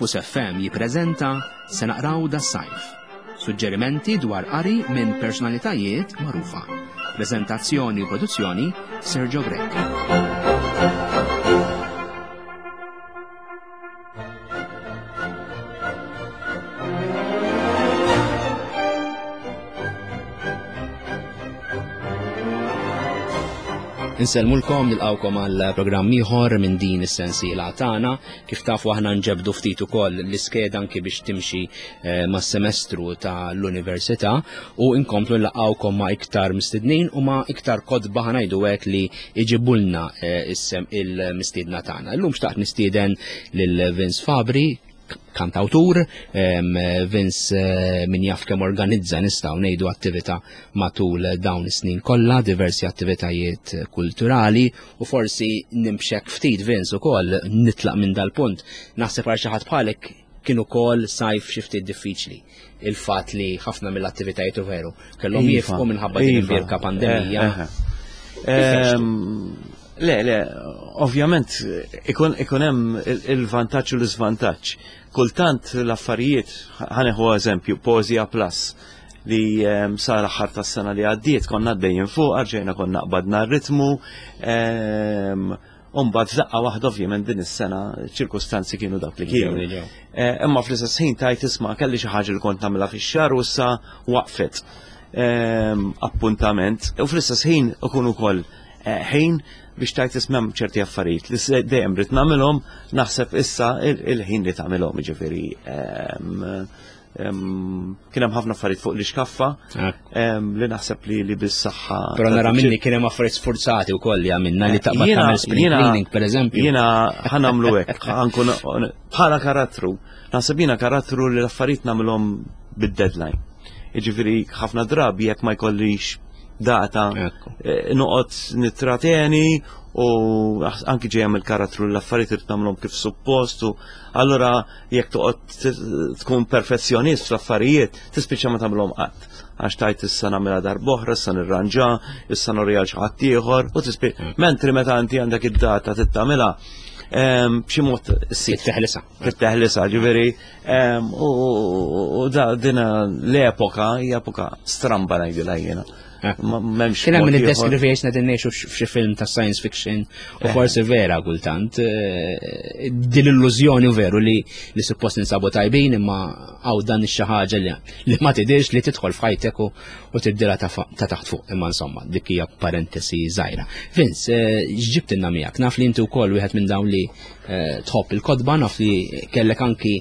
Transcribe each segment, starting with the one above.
Campus FM jippreżenta Se naqraw das-sajf. Suġġerimenti dwar qari minn personalitajiet magħrufa. Preżentazzjoni u produzzjoni Sergio Grech. Insellmulkom nilqawkom għal programm ieħor minn din is-sensiela tagħna. Kif tafu aħna nġebdu ftit ukoll l-iskeda anki biex timxi eh, mas-semestru tal-università u nkomplu nlaqgħukom ma' iktar mistednin u ma' iktar kotba ħanajdu hekk li iġibulna eh, issem il-mistiedna tagħna. Illum xtaqt nistieden lil Vince Fabri, kantawtur, Vince eh, min jaf kemm organizza nistgħu ngħidu attività matul dawn is-snin kollha, diversi attivitajiet kulturali u forsi nimxek ftit Vince ukoll nitlaq minn dal-punt. Naħseb għal xi ħadd bħalek kien ukoll sajf xi ftit diffiċli. Il-fatt li ħafna mill-attivitajiet u veru kellhom iva, jifqu minħabba din iva. il-birka pandemija. Eh, eh, Le, le, ovvjament ikun ikun hemm il-vantaġġ u l-iżvantaġġ. Kultant l-affarijiet, ħaneħu eżempju, Poezija Plus li ehm, sar aħħar tas-sena li għaddiet konna għaddejjin fuq, rġejna konna qbadna r-ritmu, ehm, Umbad f'daqqa waħda ovvjament din is-sena ċirkustanzi kienu dak li kienu. Eh, imma fl-istess ħin tajt isma' kelli xi ħaġa li kont nagħmilha fix-xahar u issa waqfet ehm, appuntament u fl-istess ħin ikun ukoll Eh, ħin biex tajt ismem ċerti affarijiet li dejjem rrid nagħmilhom naħseb issa il-ħin li tagħmilhom jiġifieri ehm, ehm, kien hemm ħafna affarijiet fuq l-iskaffa ehm, li naħseb li li bis-saħħa. Però nara minni kien hemm affarijiet sfurzati wkoll li għamilna li taqbad tagħmel spring cleaning pereżempju. Jiena ħanamlu hekk, ħankun bħala karattru. Naħseb jiena karattru li l-affarijiet nagħmilhom bid-deadline. Jiġifieri ħafna drabi jekk ma jkollix data eh, noqgħod nittrateni u anki ġejja mill-karattru l-affarijiet irid nagħmlhom kif suppost u allura jekk toqgħod tkun perfezzjonist fl-affarijiet tispiċċa ma tagħmlhom qatt għax tajt issa nagħmilha darb'oħra, issa nirranġa, issa norja xi ħadd ieħor u tispiċċa. Mm. Mentri meta inti għandek id-data tittamilha ehm, b'xi mod issir. Teħlisa. Teħlisa, ġifieri ehm, u dina l-epoka hija epoka stramba ngħidilha jiena. Eh. M'hemmx. Kien hemm min iddeskrivi qisna din ngħixu f'xi film ta' science fiction u eh. forsi vera kultant eh, din l-illużjoni veru li li suppost ninsabu tajbin imma hawn dan ix-xi ħaġa li ma tidirx li tidħol f'ħajtek u tibdilha ta' taħt fuq imma insomma dik hija parentesi żgħira. Vince, x'ġibtilna miegħek? Naf li inti wkoll wieħed minn dawn li Eh, tħobb il-kodba naf li kellek anki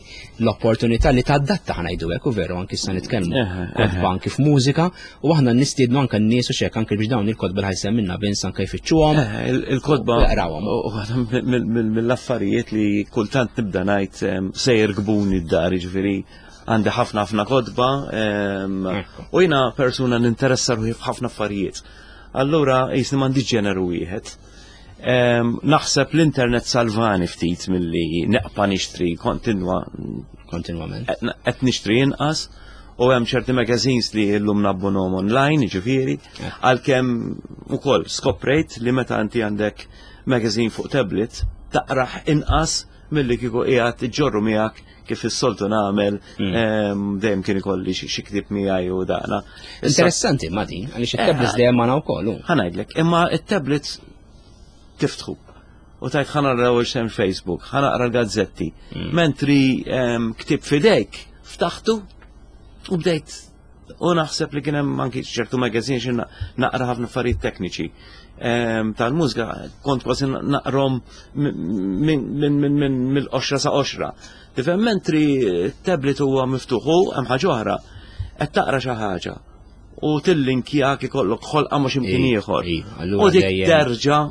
l-opportunità li tadatta ħanajdu hekk u veru anki issa nitkellmu eh, eh, kodba anki f'mużika u aħna nistiednu anke n-nies u xek anki biex dawn il-kodba li ħajsemminna Vince anke jfittxuhom. Il-kodba jaqrawhom. Mill-affarijiet li kultant nibda ngħid se jirkbuni d-dar jiġifieri għandi ħafna ħafna kodba u jiena persuna ninteressa ruħi f'ħafna affarijiet. Allura jisni m'għandi ġeneru wieħed. Naħseb l-internet salvani ftit milli neqpa nixtri kontinwa. Kontinwament. Qed nixtri inqas u hemm ċerti magazines li llum nabbunom online, ġifieri, għalkemm ukoll skoprejt li meta inti għandek magazine fuq tablet taqraħ inqas milli kieku qiegħed iġorru miegħek kif is-soltu nagħmel mm. dejjem kien ikolli xi ktieb miegħi u daqna. Interessanti ma din, għaliex it-tablets eh, dejjem magħna wkoll. Ħa ngħidlek, imma it-tablets tiftħu u tajt ħa nara l Facebook, ħa naqra l-gazzetti. Mm. Mentri ktieb fidejk, ftaħtu u bdejt U naħseb li kien hemm anki ċertu magazine xi naqra ħafna affarijiet tekniċi ehm, tal-mużika kont kważi naqrom mill-qoxra sa qoxra. Tifhem mentri tablet huwa miftuħ u hemm ħaġa oħra qed taqra xi ħaġa u tillinkjak ikollok ħolqa ma' x'imkien ieħor. U dik terġa'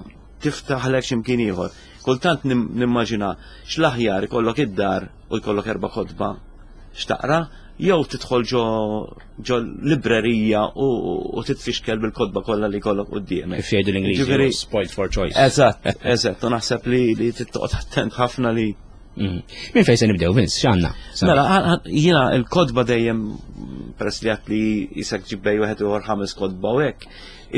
tiftaħlek x'imkien ieħor. Kultant nimmaġina x'l-aħjar ikollok id-dar u jkollok erba' kotba x'taqra, jew tidħol ġo ġo librerija u titfixkel bil-kotba kollha li jkollok quddiemek. Kif jgħidu l-Ingliżi, spoiled for choice. Eżatt, eżatt, u naħseb li li tittoqgħod attent ħafna li mhm. Min fejn se nibdew, Vince, x'għandna? Mela, jiena l-kotba dejjem peress li għat li jisek ġibbej wieħed uħor ħames kotba u hekk,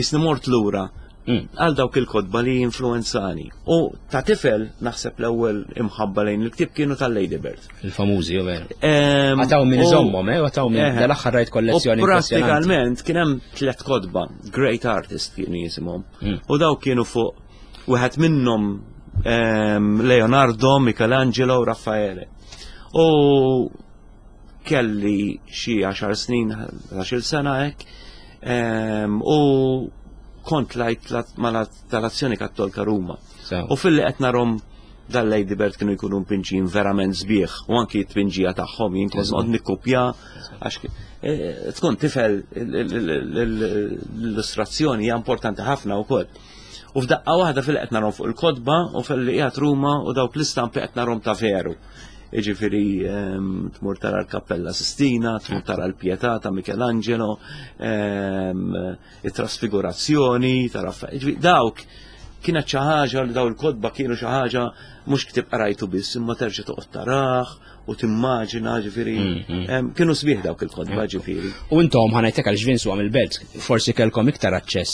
isni mort lura. Għal dawk il-kotba li influenzani. U ta' tifel naħseb l-ewwel imħabba lejn il-ktieb kienu tal-Lady Bird. Il-famużi, u veru. Għataw minn iżommhom, eh, għataw minn eh. dal-aħħar rajt kollezzjoni. Prattikament kien hemm tliet kotba, Great Artist kienu jisimhom. U dawk kienu fuq wieħed minnhom Leonardo, Michelangelo, Raffaele. U kelli xi 10 snin, 11 sena hekk, u kont lajt tal-Azzjoni Kattolka Ruma. U fil-li qed narhom dal-Lady Bird kienu jkunu mpinġin verament sbieħ u anki t-tpinġija tagħhom jien kont noqgħod nikkupja għax eh, tkun tifel l-illustrazzjoni hija importanti ħafna wkoll. U f'daqqa waħda fil qed narhom fuq il-kotba u fil-li qiegħed Ruma u dawk l-istampi qed narhom ta' veru. Iġifiri tmur tara l-Kappella Sistina, tmur tara l-Pietà ta' Michelangelo, it-Trasfigurazzjoni ta' Raffaello. Dawk kienet xi ħaġa li daw il-kotba kienu xi ħaġa mhux ktib qrajtu biss imma terġa' toqgħod tarah u timmaġina ġifieri kienu sbieħ dawk il-kotba ġifieri. U intom ħanajtek għal ġvin għam il-belt, forsi kellkom iktar aċċess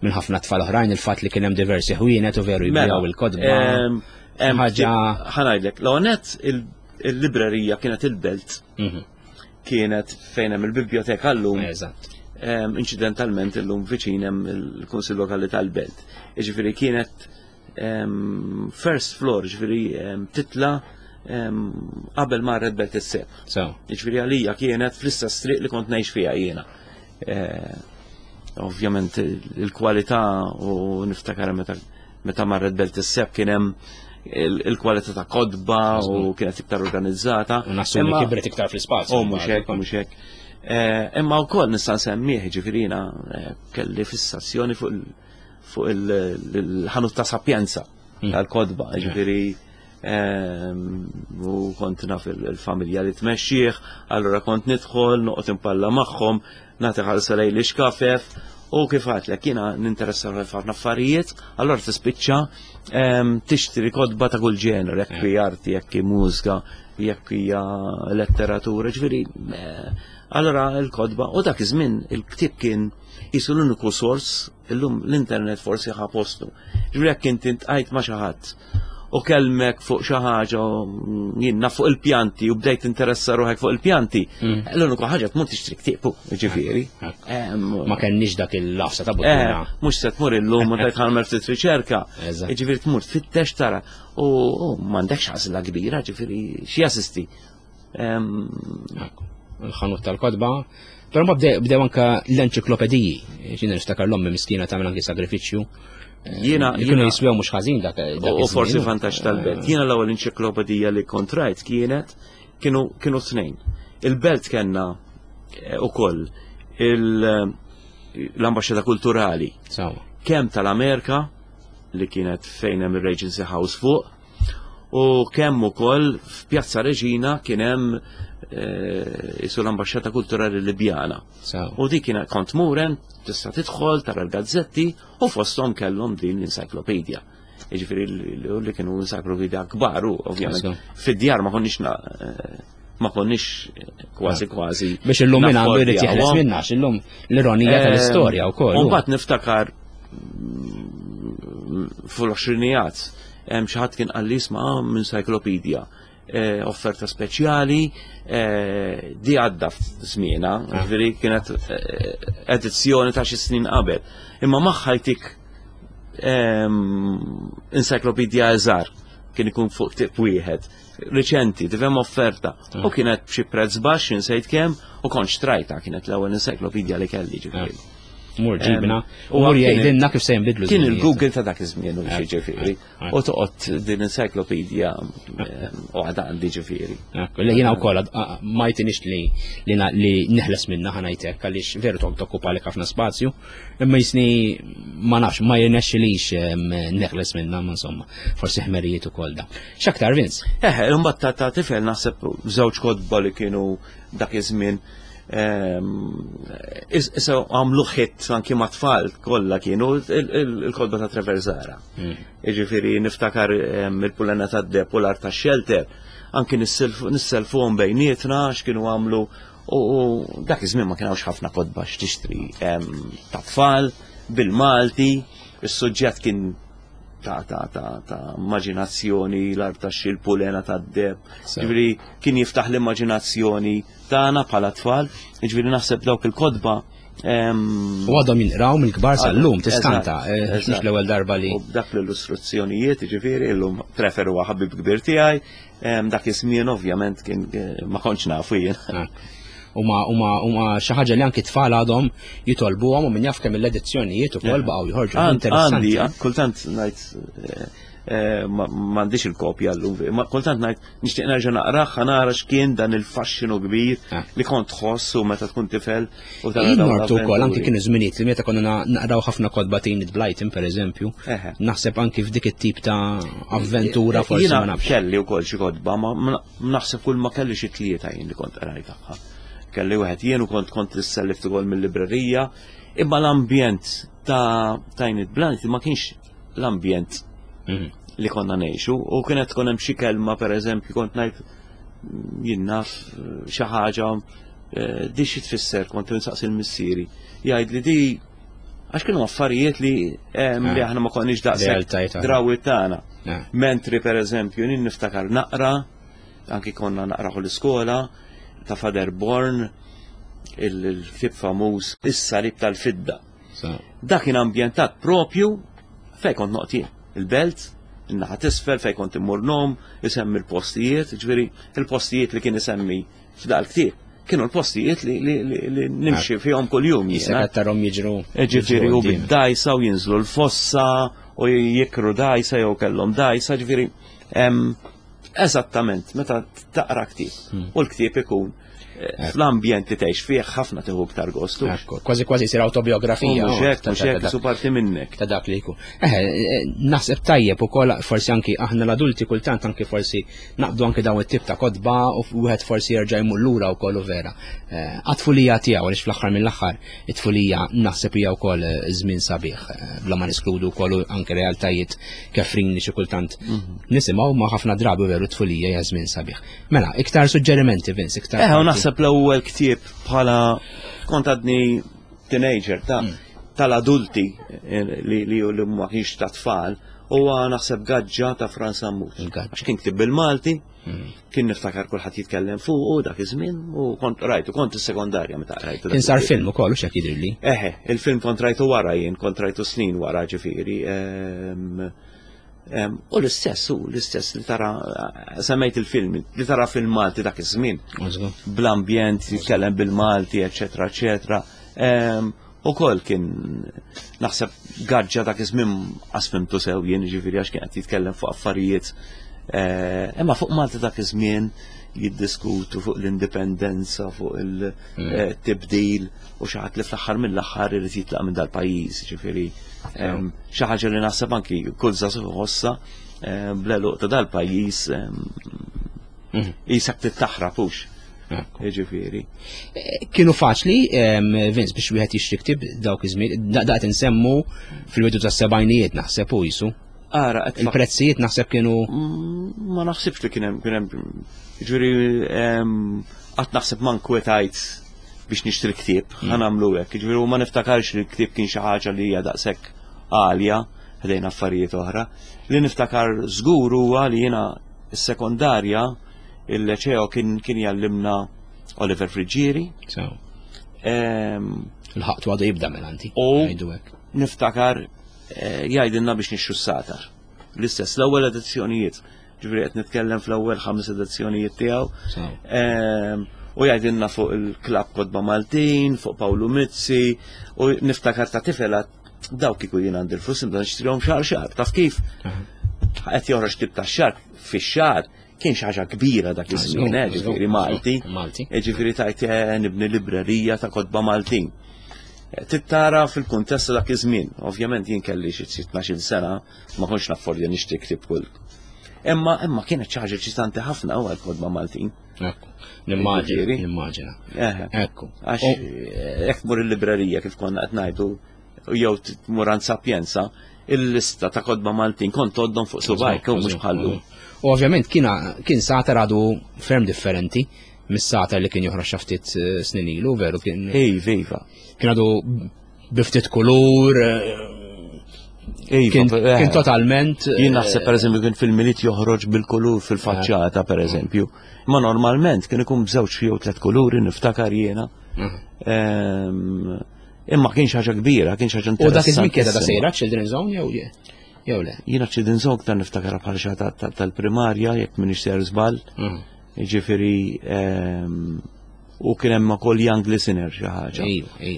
minn ħafna tfal oħrajn il-fatt li kien hemm diversi ħwienet u veru mela, jbijaw il-kotba. Ħaġa. Ħanajdlek, l-għonet il-librerija kienet il-belt. Mhm. Kienet fejn hemm il-biblioteka llum. Eżatt. Incidentalment illum viċin hemm il-Kunsill Lokali tal-Belt. Jiġifieri kienet first floor, ġifieri titla qabel marret Belt is-Seb. Jiġifieri għalija kienet fl-istess triq li kont ngħix fiha jiena. Eh, ovvjament il-kwalità u niftakar meta meta marret Belt is-Seb kien hemm il-kwalità ta' kodba u kienet iktar organizzata. U nassumi kibret iktar fl-ispazju. U mhux hekk, mhux hekk. Eh, imma wkoll nista' nsemmih ġifieri eh, kelli fissazzjoni fuq il-ħanut ta' Sapienza hmm. tal-kodba, ġifieri ehm, u kont naf il-familja li tmexxih, allura kont nidħol, noqgħod impalla magħhom, nagħti ħarsa lejn l-ixkafef u kif għatlek jiena ninteressa ħafna affarijiet, allura tispiċċa ehm, tixtri kotba ta' kull ġener, jekk hija arti, jekk hi mużika, jekk hija letteratura, ġifieri eh, allura l-kotba u dak iż-żmien il-ktieb kien jisu l-uniku sors illum l-internet forsi ħa postu. Ġifieri jekk inti ntqajt ma' xi ħadd u kelmek fuq xi ħaġa jiena fuq il-pjanti u bdejt interessa ruħek fuq il-pjanti, mm. l-uniku ħaġa tmur tixtri ktieb, ġifieri. Ma kenniex dak il-lafsa ta' buttuna. Eh, mhux se tmur illum u tgħid ħalmer ftit riċerka. Ġifieri tmur tfittex tara u m'għandekx għażla kbira, ġifieri xi assisti. Il-ħanut tal-kotba. Però ma bdew anka l-enċiklopediji, ġina niftakar l-ommi miskina tagħmel anki sagrifiċċju. Jiena kienu jiswew mhux ħażin dak. U forsi vantaġġ tal-belt. Jiena l-ewwel enċiklopedija li kont rajt kienet kienu kienu tnejn. Il-belt kellna eh, ukoll l-ambaxxata kulturali. Kemm tal-Amerika li kienet fejn hemm ir-Regency House fuq, U kemm ukoll f'Pjazza Reġina kien hemm eh, isu l-Ambaxxata Kulturali Libjana. U dik kienet kont muren, tista' tidħol, tara l-gazzetti u fosthom kellhom din l-encyclopedia. Jiġifieri li kienu encyclopedia kbar u ovvjament fid-djar ma konniex eh, ma konniex kważi kważi. Biex illum minn għandu jrid jeħles minna, illum l-ironija eh, tal-istorja wkoll. U mbagħad niftakar mm, fl-għoxrinijat hemm xi ħadd kien qalli isma' ah, minn encyclopedia eh, offerta speċjali eh, di għadda f'żmiena, ah. ġifieri kienet edizzjoni ta' xi snin qabel. Imma magħha jtik ehm, encyclopedia eżar kien ikun fuq tip wieħed riċenti, tifhem offerta. U ah. kienet b'xi prezz baxx insejt kemm u kont xtrajta kienet l-ewwel encyclopedia li kelli ġifieri. Ah. Mur ġibna, u mur jgħidilna kif se jinbidlu. Kien il-Google ta' dak iż-żmien u xi ġifieri. U toqgħod din encyclopedia u għadha għandi ġifieri. Li jiena wkoll ma jtinix li li neħles minna ħanajtek għaliex veru toqgħod tokkupa lek ħafna spazju, imma jisni ma nafx ma jirnexxilix neħles minna, ma insomma, forsi ħmerijiet ukoll da. X'aktar Vince? Eh, imbagħad ta' tifel naħseb żewġ kotba li kienu dak iż-żmien ehm, issa għamlu ħit anki ma' tfal kollha kienu il-kotba ta' Trevor Zara. Hmm. Jiġifieri niftakar ehm, il-pulena tad-deb u l-art tax-xelter, anki nisselfuhom bejnietna x'kienu għamlu u dak iż-żmien ma kienx ħafna kotba x'tixtri ehm, ta' tfal bil-Malti. Is-suġġett kien ta' ta' ta' ta' immaġinazzjoni, l-art ta' xil-pulena ta' deb. Ġifieri kien jiftaħ l-immaġinazzjoni tagħna bħala tfal, ġifieri naħseb dawk il-kotba U għadhom jinqraw mill-kbar sal-lum, tiskanta, eh, mhux l-ewwel darba li. U dak l-illustrazzjonijiet, ġifieri, llum preferu ħabib kbir tiegħi, dak iż-żmien ovvjament kien eh, ma kontx nafu jien. Ah. Huma huma huma xi ħaġa li anki tfal għadhom jitolbuhom u min jaf kemm l-edizzjonijiet ukoll baqgħu joħorġu. Interessanti. Kultant ngħid eh, eh, m'għandix il-kopja llum, ma kultant ngħid nixtieq nerġa' naqrah nara x'kien dan il-faxxinu kbir ah. li kont tħoss u meta tkun tifel u tara Jien martu wkoll anki kienu żminijiet li meta konna naqraw ħafna kotba Enid Blyton pereżempju. Naħseb anki f'dik it-tip ta' avventura forsi ma nafx. Kelli wkoll xi kotba, ma naħseb kull ma kelli xi tlieta jien li kont qrajt tagħha. Kelli wieħed jien u kont kont issellift ukoll mill-librerija, imma l-ambjent ta' Enid Blyton ma kienx l-ambjent mhm. li konna ngħixu u kienet tkun hemm xi kelma pereżempju kont ngħid jien naf xi ħaġa eh, di xi tfisser kont insaqsi l-missieri. Jgħid li di għax kienu affarijiet li eh, li ah. aħna ma konniex daqshekk drawit tagħna. Ah. Mentri pereżempju nien niftakar naqra, anki konna naqraħu l-iskola ta' Fader Born, il-ktieb famuż Is-Salib tal-Fidda. Dak kien ambjentat propju fejn kont noqgħod jien. Il-belt, in-naħa t'isfel fejn kont immur nom, isemmi l-postijiet, ġifieri il-postijiet li kien isemmi f'dal ktieb kienu l-postijiet li, li, li, li nimxi fihom kuljum. Jisek tarhom jiġru. E, ġifieri u bid-dajsa u jinżlu l-fossa u jikru dajsa jew kellhom dajsa, ġifieri eżattament meta taqra ktieb hmm. u l-ktieb ikun fl-ambjent li tgħix fih ħafna tieħu iktar gostu. Kważi kważi jsir autobiografija. Mhux hekk, mhux hekk, su parti minnek. Ta' dak li jkun. Eh, eh, naħseb tajjeb ukoll forsi anki aħna l-adulti kultant anki forsi naqbdu anki dawn it-tip ta' kotba u wieħed forsi jerġa' jmur lura wkoll u vera. Eh, għat-tfulija tiegħu għaliex fl-aħħar mill-aħħar it-tfulija naħseb hija wkoll żmien sabiħ bla ma niskludu wkoll anke realtajiet kefrin li xi kultant mhm. nisimgħu ma ħafna drabi veru t-tfulija hija żmien sabiħ. Mela, iktar suġġerimenti, Vince, iktar. Eh, u naħseb l-ewwel ktieb bħala kont għadni teenager ta' mm. tal-adulti eh, li li li ma kienx ta' tfal, huwa naħseb gaġġa ta' Franz Sammut. Għax kien ktib bil-Malti, mm. kien niftakar kulħadd jitkellem fuq u dak iż-żmien u kont rajtu, kont is-sekondarja meta rajtu. Kien sar film ukoll u x'hekk jidhirli. Eħe, il-film kont rajtu wara jien, kont rajtu snin wara ġifieri. Ehm, U l-istess, u l-istess li tara, semmejt il-film, li tara film Malti dak iż-żmien. Bl-ambjent, jitkellem bil-Malti, eċetera, eċetera. U kol kien naħseb gaġġa dak iż-żmien qasfimtu sew jien ġifieri għax kien qed jitkellem fuq affarijiet. Eh, imma fuq Malti dak iż-żmien jiddiskutu fuq l-indipendenza, fuq il-tibdil mm. eh, u xi ħadd li fl-aħħar mill-aħħar irid jitlaq minn dal-pajjiż, ġifieri xi ħaġa li naħseb anki kull żagħżugħ iħossha bl-għeluq ta' dal-pajjiż mhm. qisek tittaħrab hux. Jiġifieri. Eh, kienu faċli, Vince, biex wieħed jixtri ktieb dawk iż-żmien, daqt insemmu fil-bidu tas-sebgħinijiet naħseb u jisu. Ara, il-prezzijiet naħseb kienu. Mm, ma naħsibx li kien hemm kien hemm ġifieri qatt naħseb ma nkwetajt biex nixtri ktieb, mm. ħa nagħmlu hekk. Jiġifieri ma niftakarx li l-ktieb kien xi ħaġa li hija daqshekk għalja ħdejn affarijiet oħra. Li niftakar żgur huwa li jiena s-sekondarja il-leċeo kien kien jallimna Oliver Friggieri. Il-ħaqtu għadu jibda mela inti. U niftakar eh, jgħidilna biex nixxu s-satar. L-istess l-ewwel edizzjonijiet Ġifieri qed nitkellem fl-ewwel ħames edizzjonijiet tiegħu. Ehm, u jgħidilna fuq il-klab Kodba Maltin, fuq Pawlu Mizzi, u niftakar ta' tifela dawk kieku jien għandi l-flus nibda nixtrihom xahar xahar. Taf kif? Qed joħroġ tip ta' xahar fix-xahar kien xi ħaġa kbira dak iż-żmien, eh, ġifieri Malti. Malti. Eh, ġifieri tajt eh, nibni librerija ta' kotba Maltin. Tittara fil-kuntest dak iż-żmien. Ovvjament jien kelli xi 12 sena, ma kontx naffordja nixtri ktieb kull. Imma imma kienet xi ħaġa eċitanti ħafna u għal-kodba Maltin. Ekku, nimmaġina, nimmaġina. Ekku. Għax eh, jekk tmur il-librerija kif konna qed ngħidu jew tmur għand Sapienza, il-lista ta' kodba Maltin kont għoddhom fuq subajk u mhux bħallu. U ovvjament kien satar għadu ferm differenti mis-satar li kien joħroġ ftit eh, snin ilu, veru kien. Ej, viva. Kien għadu biftit kulur, eh, Iva, kien totalment. Jien naħseb pereżempju kien fil-Milied joħroġ bil-kulur fil-faċċata pereżempju. Ma normalment kien ikun b'żewġ jew tliet kuluri niftakar jiena. Mhm. Imma kien ħaġa kbira, kien ħaġa interessanti. U dak iż-żmien kienet da sejra Children's Zone jew jew le? Jiena Children's Zone ktar niftakar bħal xi tal-primarja jekk m'iniex ser żball. Mhm. Jiġifieri u kien hemm ukoll Young Listener xi ħaġa.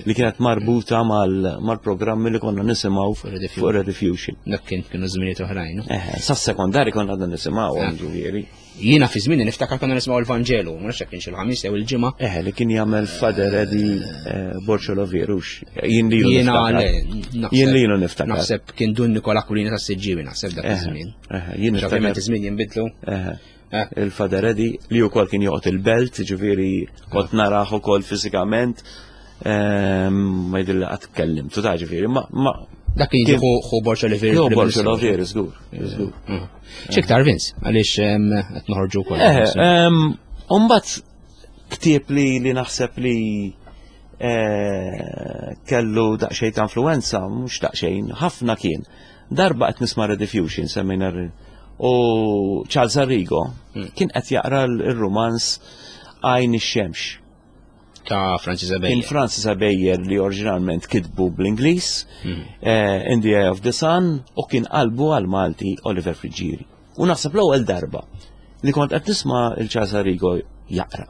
Li kienet marbuta mal-programmi li konna nisimgħu fuq Rediffusion. Dak kien kienu żminijiet oħrajn. Eh, sas-sekondari konna għadna nisimgħu ah. ġifieri. Jiena fi żmieni niftakar konna nisimgħu l-Vanġelu, ma nafx kienx il-ħamis jew il-ġimgħa. Eh, li kien jagħmel Fader Eddie eh, Borċolo Virux. Jien li Jiena Jien li niftakar. Naħseb kien Dun Nikola Kulina tas-Siġġiewi naħseb dak eh, iż-żmien. Eh, jien ovvjament iż-żmien jinbidlu. Il-Fader Eddie li wkoll kien joqgħod il-belt, ġifieri kont narah ukoll fiżikament. Ehm, ma jidhirli qatt tkellimtu ta' ġifieri, ma Dak kien jiġi ħu Borċo li Hu Borċo li Veri, żgur. Mm. X'iktar Vince, għaliex ehm, qed noħorġu wkoll. Eh, ehm, Umbagħad ktieb li li naħseb li eh, kellu daqsxejn ta' influenza, mhux daqsxejn, ħafna kien. Darba qed nisma' Rediffusion semmejna u Charles Arrigo hmm. kien qed jaqra l-romanz Għajn ix-xemx. Ta' Francis Abeyer. Kien Francis Abeyer li oriġinalment kitbu bl-Ingliż, hmm. eh, In the Eye of the Sun, u kien qalbu għal Malti Oliver Friggieri. U naħseb l-ewwel darba li kont qed nisma' il-Charles Arrigo jaqra.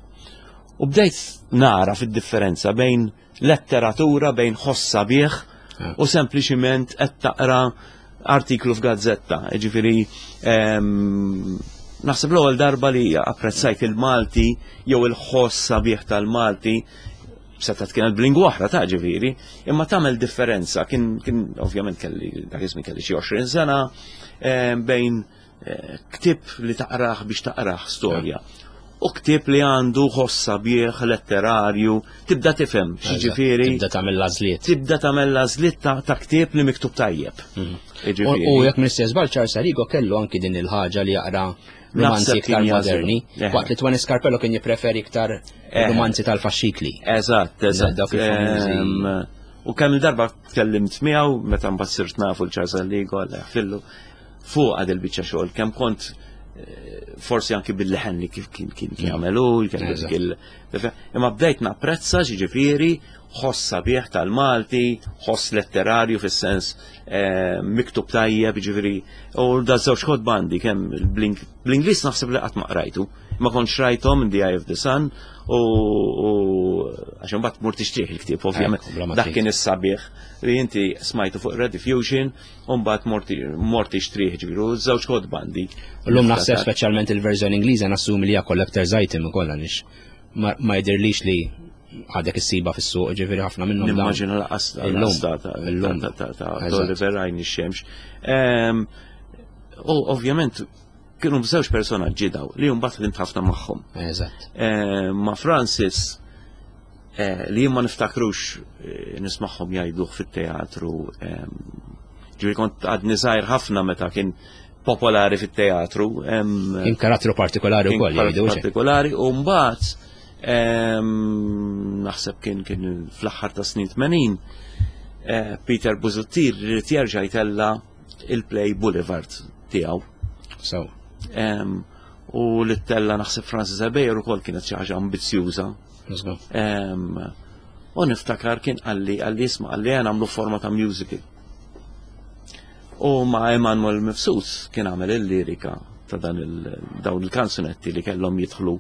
U bdejt nara fid-differenza bejn letteratura bejn ħoss sabiħ ah. u sempliċiment qed taqra artiklu f'gazzetta. Ġifieri ehm, naħseb l-ewwel darba li apprezzajt il-Malti jew il-ħoss sabiħ tal-Malti seta' kienet b'lingwa oħra ta' ġifieri, imma tagħmel differenza. Kien kien ovvjament kelli dak iż-żmien kelli xi 20 sena ehm, bejn eh, ktieb li taqrah biex taqrah storja. U ktieb li għandu ħoss sabiħ letterarju, tibda tifhem x'jiġifieri. Tibda tagħmel l-għażliet. Tibda tagħmel l-għażliet ta' ktieb li miktub tajjeb. Mhm. U jekk m'iniex żball Charles Arrigo kellu anki din il-ħaġa li jaqra romanzi iktar moderni, waqt li Tony Scarpello kien jippreferi iktar romanzi tal-faxxikli. Eżatt, eżatt. U kemm il-darba tkellimt miegħu meta mbagħad sirt nafu l-Charles Arrigo għal fillu. Fuqha dil-biċċa xogħol kemm kont eh, forsi anki bil-leħen li kif kien kien mm. jagħmelu, imma bdejt napprezza ġifieri ħoss sabiħ tal-Malti, ħoss letterarju fis-sens eh, miktub tajjeb, ġifieri, u da żewġ kotba għandi kemm bl-Ingliż naħseb li qatt ma qrajtu. Ma kontx rajthom in the Eye of the Sun u għax imbagħad mur tixtrih il-ktieb ovvjament. Dak kien is-sabiħ li inti smajtu fuq Rediffusion U mbagħad mort tixtrih ġifieri u żewġ kotba għandi. Llum naħseb speċjalment il-verżjoni Ingliża nassumi li hija collector's item ukoll għaliex ma jidhirlix li għadek issiba fis-suq ġifieri ħafna minnhom. Nimmaġina laqas illum ta' Oliver Għajn ix-xemx. Ehm, u ovvjament kienu b'żewġ personaġġi daw li mbagħad ħdimt ħafna magħhom. Eżatt. Ehm, ma' Francis Eh, li jien ma niftakrux eh, nismagħhom jgħiduh fit-teatru. Ehm, ġifieri kont għadni żgħir ħafna meta kien popolari fit-teatru. Ehm, kien karattru partikolari wkoll jgħidu. Partikolari u mbagħad ehm, naħseb kien kien fl-aħħar ta' snin 80 eh, Peter Busuttil rrid jerġa' jtella il-play Boulevard tiegħu. So. U li tella naħseb Francis Abejer ukoll kienet xi ħaġa ambizzjuża. U niftakar kien qalli, qalli isma' qalli għan għamlu forma ta' musical. U ma' Emanuel Mifsud kien għamel il-lirika ta' dan il dawn il-kanzunetti li kellhom jidħlu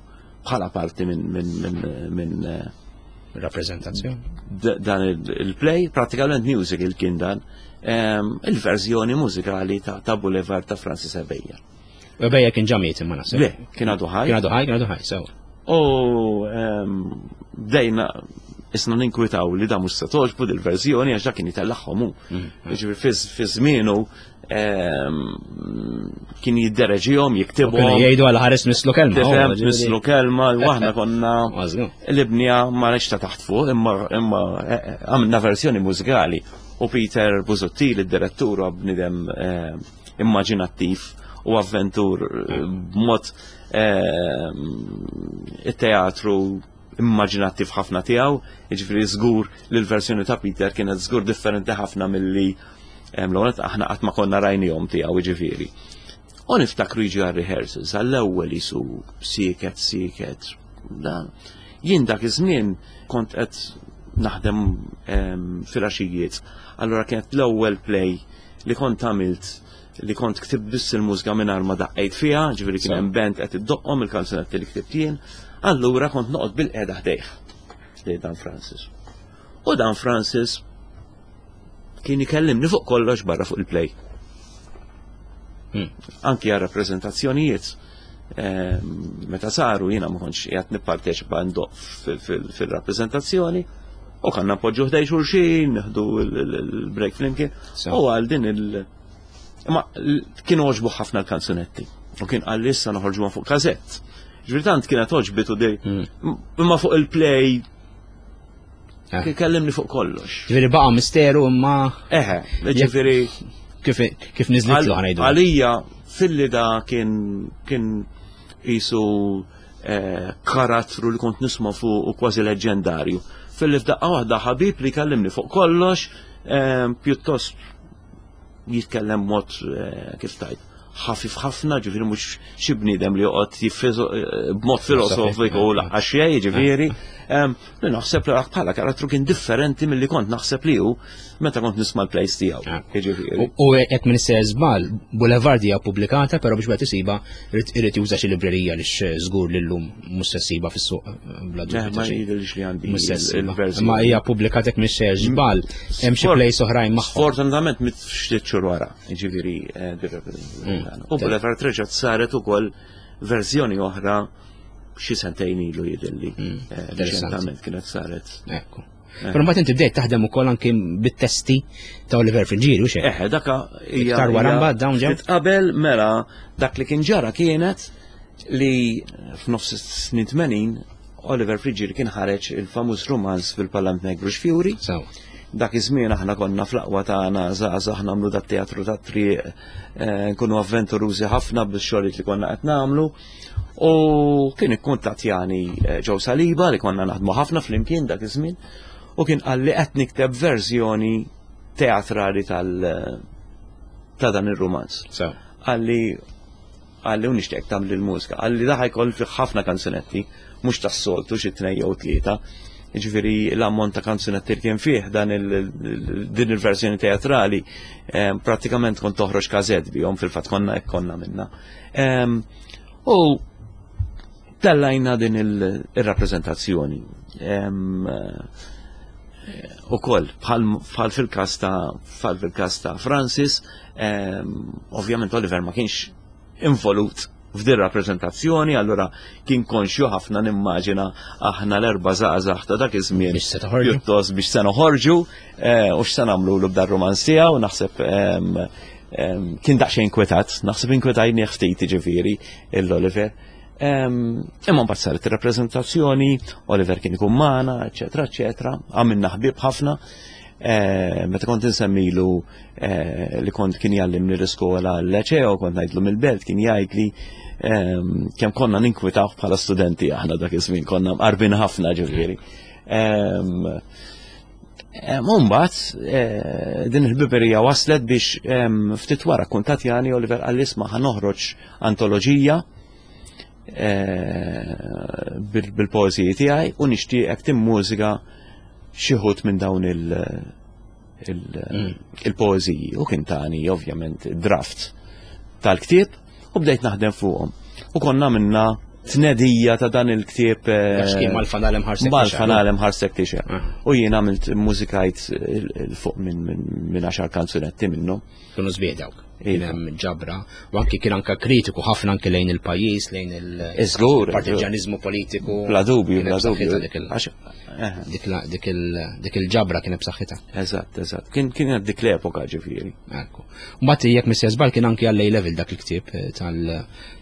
bħala parti minn min, min, min eh, rappresentazzjoni. Dan il-play, pratikament musical kien dan, il-verżjoni mużikali ta', ta Boulevard ta' Francis Ebeja. Ebeja kien ġamiet imma naħseb. Le, kien għadu ħaj. Kien għadu ħaj, kien għadu ħaj, sew. U ehm, bdejna isna ninkwitaw li da mhux se toġbu dil-verżjoni għax dak kien jitellagħhom hu. Mm. Jiġifieri fi żmienu ehm, kien jiddereġihom, jiktibhom. Kienu jgħidu għal ħares mislu kelma. Tifhem mislu kelma, u aħna konna l-ibnija ma ta' taħt fuq, imma imma eh, eh, għamilna verżjoni mużikali. U Peter Busuttil, id-direttur, bnidem eh, immaġinattiv u avventur eh, b'mod eh, it-teatru immaġinattiv ħafna tiegħu, jiġifieri żgur li l-verżjoni ta' Peter kienet żgur differenti ħafna milli L-ewwel aħna qatt ma konna rajnihom tiegħu jiġifieri. U niftakru jiġi għal rehearsals, għall-ewwel jisu sieket, sieket. Dan. Jien dak iż-żmien kont qed naħdem filgħaxijiet. Allura kienet l-ewwel play li kont għamilt li kont ktib biss il-mużika mingħajr ma daqqejt fiha, ġifieri kien hemm band qed iddoqqhom il-kanzunetti li ktibt jien, allura kont noqgħod bil-qiegħda ħdejh ħdej Dan Francis. U Dan Francis kien ikellimni fuq kollox barra fuq il-play. Anki għal rappreżentazzjonijiet meta saru jiena ma kontx qiegħed nipparteċipa ndoq fil-rappreżentazzjoni u kanna npoġġu ħdej xulxin, nieħdu l-break flimkien. U għal din il- Imma kienu għoġbu ħafna l-kanzunetti. U kien qal issa noħorġuhom fuq kazett. Ġifieri tant kienet għoġbitu dej. Imma fuq il-play eh. Kellimni fuq kollox. Ġifieri baqa' misteru imma. Eħe, ġifieri. Kif kif niżlitlu ħanajdu. Għalija filli da kien kien qisu eh, karattru li kont nisma' fuq u kważi leġendarju. Filli f'daqqa waħda ħabib li kellimni fuq kollox, eh, pjuttost jitkellem mod eh, kif tajt ħafif ħafna, ġifieri mhux xi bniedem li joqgħod eh, b'mod filosofiku u laqgħa xejn, ġifieri. Li naħseb li bħala karattru kien differenti milli kont naħseb li hu meta kont nisma' l-plays tiegħu. Ah. Ġifieri. U hekk minn se żball, Boulevard hija pubblikata, però biex wieħed isiba irid juża xi librerija li żgur li llum mhux se ssiba fis-suq eh, bla dubju. Ma jidhirx li għandi. Ma hija pubblikata hekk minn se żball, hemm xi plays oħrajn magħhom. Sfortunatament mit ftit xhur wara, jiġifieri eh, mm. U Boulevard reġgħet saret ukoll verżjoni oħra xi sentejn ilu jidilli. Mm, eh, reċentament kienet saret. Ekku. Eh. Però mbagħad inti bdejt taħdem ukoll anki bit-testi ta' Oliver Friggieri u xejn. Eħe, daka hija. Iktar wara mbagħad dawn ġew. Qabel mela dak li kien ġara kienet li f'nofs snin 80 Oliver Friggieri kien ħareġ il-famuż romanz fil-Parlament Negru Xfjuri. Dak iż-żmien aħna konna fl-aqwa tagħna żgħażagħ nagħmlu dat teatru tat-triq, eh, nkunu avventurużi ħafna bix-xogħlijiet li konna qed nagħmlu. U kien ikkuntattjani eh, Joe Saliba li konna naħdmu ħafna flimkien dak iż-żmien u kien qal li qed nikteb verżjoni teatrali tal ta' dan ir-rumanz. Qalli Qalli u nixtieq tagħmel il-mużika. Qalli da ħajkoll fih ħafna kanzunetti, mhux tas-soltu xi tnejn jew tlieta. Jiġifieri l-ammont ta' kanzunetti li kien fih dan din il-verżjoni teatrali eh, prattikament kont toħroġ każett bihom fil-fatt konna hekk konna minna. Ehm, u tellajna din il-rappreżentazzjoni. Ehm, eh, u koll, bħal fil-kas ta' bħal fil-kas ta' Francis, ehm, ovvjament Oliver ma kienx involut f'din rappreżentazzjoni, allura kien konxju ħafna nimmaġina aħna l-erba' żgħażagħ ta' dak iż-żmien pjuttost biex se noħorġu eh, u x'se nagħmlu l b'dar romanz tiegħu, naħseb ehm, ehm, kien daqsxejn inkwetat, naħseb inkwetajni ftit jiġifieri l-Oliver. Imma mbagħad saret ir-rappreżentazzjoni, Oliver kien ikun magħna, eċetera, eċetera, għamilna ħbieb ħafna. Eh, meta kont insemmilu eh, li kont kien jallimni l-iskola l-leceo, kont ngħidlu mill-belt, kien jgħidli ehm, kemm konna ninkwitaw bħala studenti aħna dak iż-żmien konna mqarbin ħafna ġifieri. Ehm, ehm, Umbat, eh, din il-biberija waslet biex ftit wara kuntatjani Oliver għall-isma ħanoħroġ antoloġija bil-poeziji tiegħi u nixtieqek timmużika xi ħut minn dawn il-poeziji u kien tani ovvjament draft tal-ktieb u bdejt naħdem fuqhom. U konna minna tnedija ta' dan il-ktieb. Eh, mal-fanalem ħarsek. Mal-fanalem ħarsek tixa. Ah. U jien għamilt mużikajt fuq minn għaxar kanzunetti minnhom. Kienu sbieħ dawk. Kien hemm ġabra u anki kien anka kritiku ħafna anki lejn il-pajjiż, lejn il-partiġanizmu politiku. Bla dubju, bla dubju. Eh. Dik il-ġabra kien b'saħħitha. Eżatt, eżatt. Kien kien dik l-epoka ġifieri. Ekku. Mbagħad jekk missja żball kien anki għal level dak il-ktieb eh,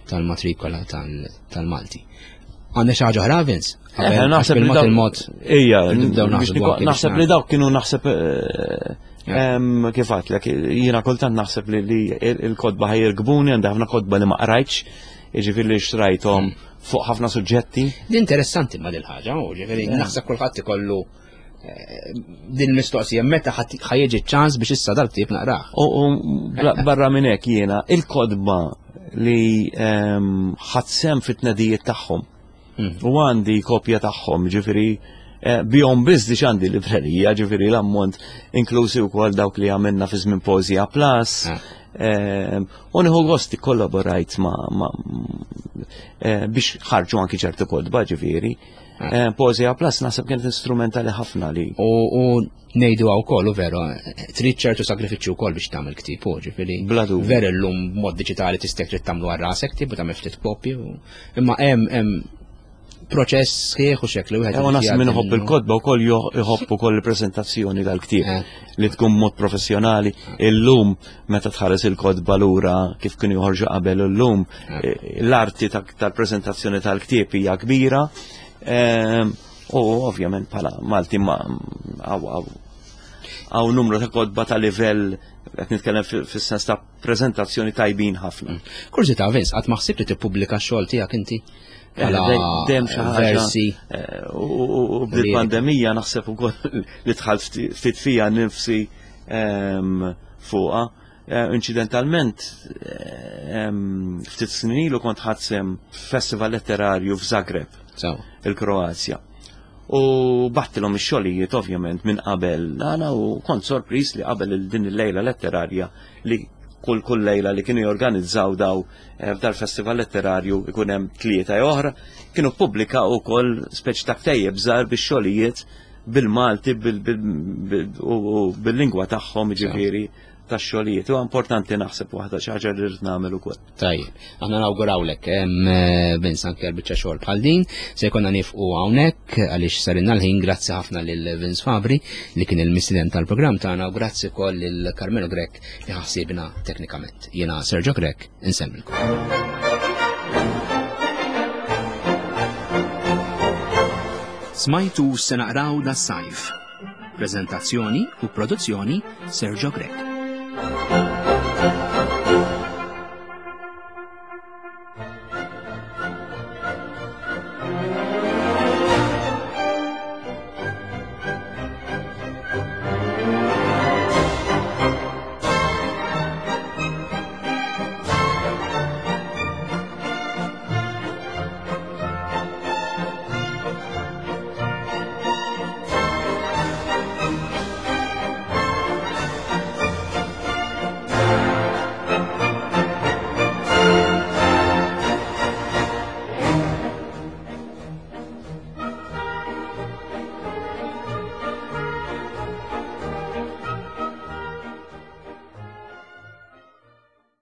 tal-matrikola tal-Malti. Għandna xi ħaġa oħra, Vince? Eh, naħseb li il-mod. Ija, naħseb li dawk kienu naħseb eh, kif għatlek, jiena kultant naħseb li il-kodba ħajirkbuni, għandi ħafna kodba li ma qrajtx, jiġifieri li xtrajthom mm. fuq ħafna suġġetti. Interessanti ma dil-ħaġa, u ġifieri naħseb kulħadd ikollu. din il-mistoqsija meta ħajġi ċans biex issa dal-ktieb naqrah. U barra minn hekk jiena il-kodba li ehm, ħadd fit-tnedijiet tagħhom. U għandi kopja tagħhom, ġifieri eh, bihom biss diġ għandi librerija, ġifieri l-ammont inklużi wkoll dawk li għamilna fi żmien Poesia Plus. Ah. Ehm, u nieħu gost kollaborajt ma' eh, biex ħarġu anki ċertu kodba ġifieri. Ah. Eh, Poesia Plus naħseb kienet instrumentali ħafna li. U ngħidu għaw kollu veru, trid ċertu sagrifiċċju wkoll biex tagħmel ktieb, u ġifieri. Bla dubju. Veru llum b'mod diġitali tista' trid tagħmlu għal rasek ktieb u tagħmel ftit kopji. Imma hemm hemm proċess sħiħ u xekli wieħed. U naħseb min iħobb il-kotba wkoll iħobb ukoll il-preżentazzjoni tal-ktieb eh. li tkun mod professjonali. Illum meta tħares il-kotba lura kif kienu joħorġu qabel illum eh. l-arti tal-preżentazzjoni tal-ktieb hija kbira. Ehm, u ovvjament bħala Malti ma għaw numru ta' kotba ta' livell qed nitkellem fis-sens ta' preżentazzjoni tajbin ħafna. Mm. Kurżità Vince, qatt ma ħsibt li tippubblika x-xogħol tiegħek inti? Eh, dejjem xi ħaġa. Eh, u bil-pandemija naħseb ukoll li dħalt ftit fija nifsi ehm, fuqha. Eh, incidentalment, ehm, ftit snin ilu kont ħadsem festival letterarju f'Zagreb, il-Kroazja. U battilhom ix-xogħlijiet ovvjament minn qabel għana u kont sorpriż li qabel din il-lejla letterarja li kull kull lejla li kienu jorganizzaw daw eh, f'dal-festival letterarju ikun hemm tlieta oħra, kienu pubblika wkoll speċi ta' ktejjeb żgħar bix-xogħlijiet bil-Malti u bil-lingwa tagħhom ġifieri tax-xogħlijiet. Huwa importanti naħseb waħda xi ħaġa li rrid nagħmel ukoll. Tajjeb, aħna nawgurawlek eh, Vince anke l-biċċa xogħol bħal din, se jkollna nifqu hawnhekk għaliex sarinna l-ħin grazzi ħafna lil Vince Fabri li kien il-mistieden tal-programm tagħna u grazzi wkoll lil Carmelo Grech li ħassibna teknikament. Jiena Sergio Grech, insemmilkom. Smajtu se naqraw da sajf. Prezentazzjoni u produzzjoni Sergio Grech.